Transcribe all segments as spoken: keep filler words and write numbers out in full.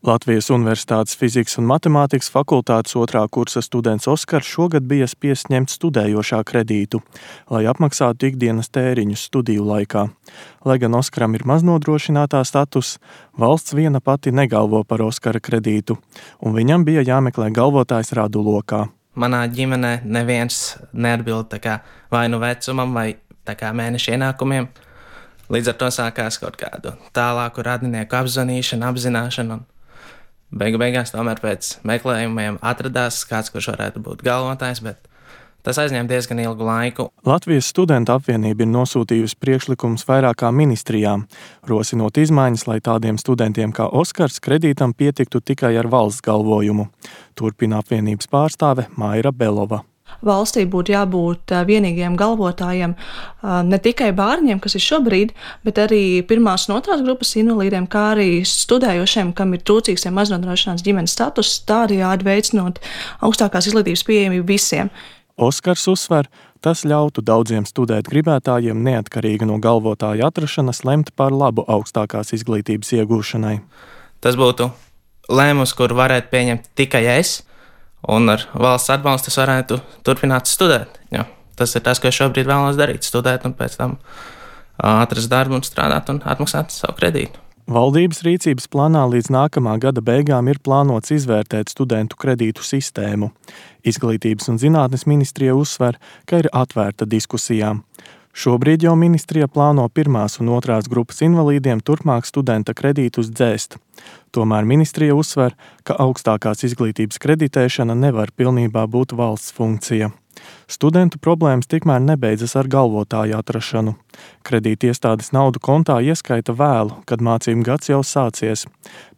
Latvijas Universitātes fizikas un matemātikas fakultātes otrā kursa students Oskars šogad bija spiests ņemt studējošā kredītu, lai apmaksātu ikdienas tēriņus studiju laikā. Lai gan Oskaram ir maznodrošinātā status, valsts viena pati negalvo par Oskara kredītu, un viņam bija jāmeklē galvotājs radu lokā. Manā ģimenē neviens neatbild tā kā vai nu vecumam vai tā kā mēneša ienākumiem. Līdz ar to sākās kaut kādu tālāku radinieku apzvanīšanu, apzināšanu. Beigu beigās tomēr pēc meklējumiem atradās kāds, kurš varētu būt galvotājs, bet tas aizņēma diezgan ilgu laiku. Latvijas studentu apvienība ir nosūtījusi priekšlikumus vairākām ministrijām, rosinot izmaiņas, lai tādiem studentiem kā Oskars kredītam pietiktu tikai ar valsts galvojumu. Turpina apvienības pārstāve Maira Belova. Valstī būtu jābūt vienīgiem galvotājiem ne tikai bērniem, kas ir šobrīd, bet arī pirmās un otrās grupas invalīdiem, kā arī studējošiem, kam ir trūcīgs vai maznodrošināts ģimenes status, tādējādi veicinot augstākās izglītības pieejamību visiem. Oskars uzsver, tas ļautu daudziem studēt gribētājiem neatkarīgi no galvotāja atrašanas lemt par labu augstākās izglītības iegūšanai. Tas būtu lēmums, kur varētu pieņemt tikai es, un ar valsts atbalstu es varētu turpināt studēt. Jo, tas ir tas, ko es šobrīd vēlos darīt, studēt un pēc tam atrast darbu un strādāt un atmaksāt savu kredītu. Valdības rīcības plānā līdz nākamā gada beigām ir plānots izvērtēt studentu kredītu sistēmu. Izglītības un zinātnes ministrija uzsver, ka ir atvērta diskusijām. Šobrīd jau ministrija plāno pirmās un otrās grupas invalīdiem turpmāk studenta kredītus dzēst. Tomēr ministrija uzsver, ka augstākās izglītības kreditēšana nevar pilnībā būt valsts funkcija. Studentu problēmas tikmēr nebeidzas ar galvotāju atrašanu. Kredīti iestādes naudu kontā ieskaita vēlu, kad mācību gads jau sācies.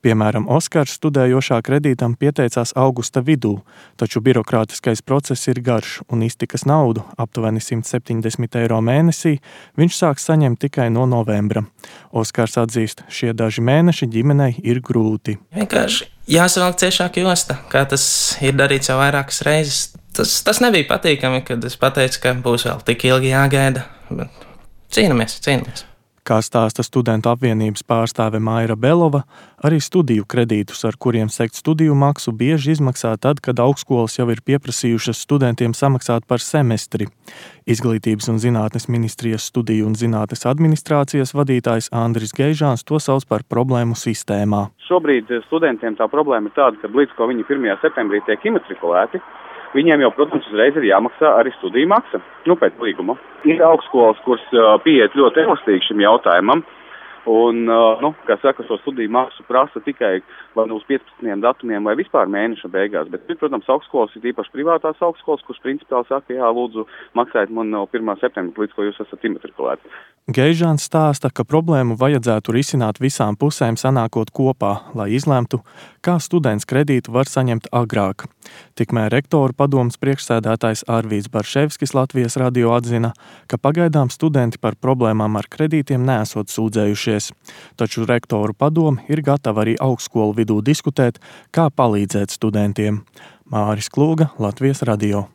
Piemēram, Oskars studējošā kredītam pieteicās augusta vidū, taču birokrātiskais process ir garš un iztikas naudu, aptuveni simt septiņdesmit eiro mēnesī, viņš sāks saņemt tikai no novembra. Oskars atzīst, šie daži mēneši ģimenei ir grūti. Vienkārši jāsavelk ciešāk josta, kā tas ir darīts jau vairākas reizes. Tas, tas nebija patīkami, kad es pateicu, ka būs vēl tik ilgi jāgaida, bet cīnamies, cīnamies. Kā stāsta studentu apvienības pārstāve Maira Belova, arī studiju kredītus, ar kuriem sekt studiju maksu, bieži izmaksā tad, kad augstskolas jau ir pieprasījušas studentiem samaksāt par semestri. Izglītības un zinātnes ministrijas studiju un zinātnes administrācijas vadītājs Andris Geižāns to sauc par problēmu sistēmā. Šobrīd studentiem tā problēma ir tāda, ka līdz ko viņi pirmajā septembrī tiek imatrikulēti, viņiem jau, protams, uzreiz ir jāmaksā arī studiju maksa, nu, pēc līguma. Ir augstskolas, kuras pieiet ļoti elastīgi šim jautājumam, un, nu, kā saka, šo studiju maksu prasa tikai vai nu uz piecpadsmitajiem datumiem vai vispār mēneša beigās, bet, protams, augstskolas ir īpaši privātās augstskolas, kuras principāli saka, jā, lūdzu, maksājiet man no pirmā septembra, līdz ko jūs esat imatrikulēti. Geižāns stāsta, ka problēmu vajadzētu risināt visām pusēm sanākot kopā, lai izlemtu, kā students kredītu var saņemt agrāk. Tikmēr rektoru padomes priekšsēdētājs Arvīds Barševskis Latvijas radio atzina, ka pagaidām studenti par problēmām ar kredītiem neesot sūdzējušies. Taču rektoru padome ir gatava arī augstskolu vidū diskutēt, kā palīdzēt studentiem. Māris Klūga, Latvijas radio.